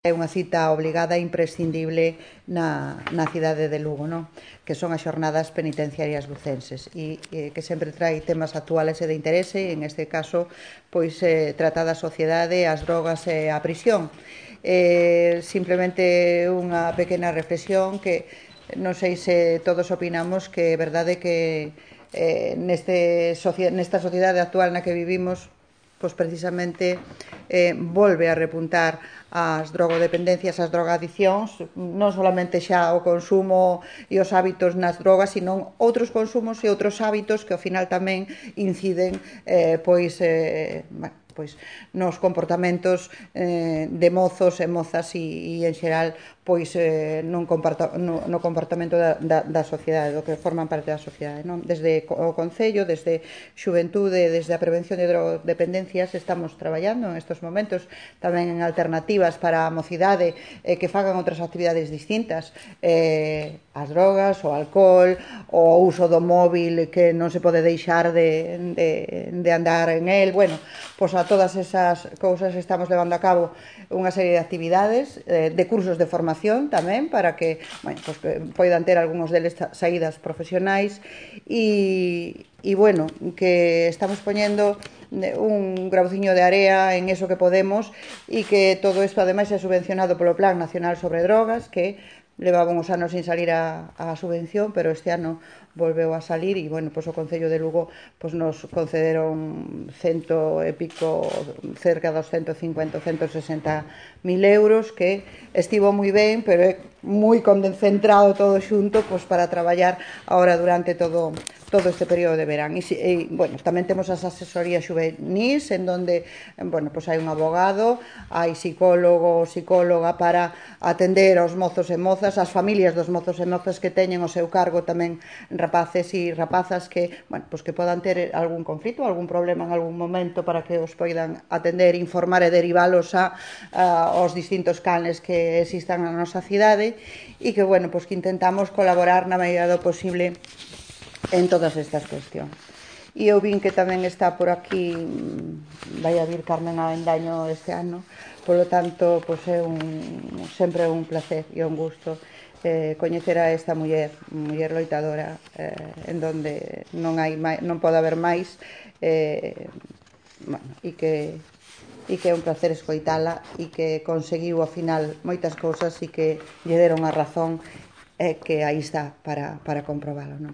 É unha cita obligada e imprescindible na cidade de Lugo, non? Que son as xornadas penitenciarias lucenses e que sempre trai temas actuales e de interese, e en este caso pois trata da sociedade, as drogas e a prisión. Simplemente unha pequena reflexión que non sei se todos opinamos que é verdade que nesta sociedade actual na que vivimos pois precisamente volve a repuntar as drogodependencias, as drogadiccións, non solamente xa o consumo e os hábitos nas drogas, sino outros consumos e outros hábitos que ao final tamén inciden nos comportamentos de mozos e mozas e en xeral no comportamento da sociedade, do que forman parte da sociedade, non? Desde o Concello, desde Xuventude, desde a prevención de drogodependencias estamos traballando en estes momentos tamén en alternativas para a mocidade que fagan outras actividades distintas, as drogas, o alcohol, o uso do móvil que non se pode deixar de andar en el. Bueno, pois a todas esas cousas estamos levando a cabo unha serie de actividades, de cursos de formación tamén, para que poidan ter algúns deles saídas profesionais e que estamos poñendo un grauciño de area en eso que podemos e que todo isto ademais é subvencionado polo Plan Nacional sobre Drogas, que levaba uns anos sin salir a subvención, pero este ano volveu a salir e, o Concello de Lugo nos concederon cento e pico, cerca dos 150 ou 160.000 euros, que estivo moi ben, pero é moi concentrado todo xunto para traballar agora durante todo este período de verán. Tamén temos as asesorías juvenís, en donde hai un abogado, hai psicólogo ou psicóloga para atender aos mozos e mozas, as familias dos mozos e mozas que teñen o seu cargo tamén rapaces e rapazas que podan ter algún conflito, algún problema en algún momento, para que os poidan atender, informar e derivalos aos distintos canles que existan na nosa cidade e que intentamos colaborar na medida do posible en todas estas cuestións. E eu vin que tamén está por aquí, vai a vir Carmen Avendaño este ano, polo tanto, é sempre un placer e un gusto coñecer a esta muller loitadora, en donde non pode haber máis, e que é un placer escoitala e que conseguiu ao final moitas cousas e que lle deron a razón, que aí está para comprobalo, non?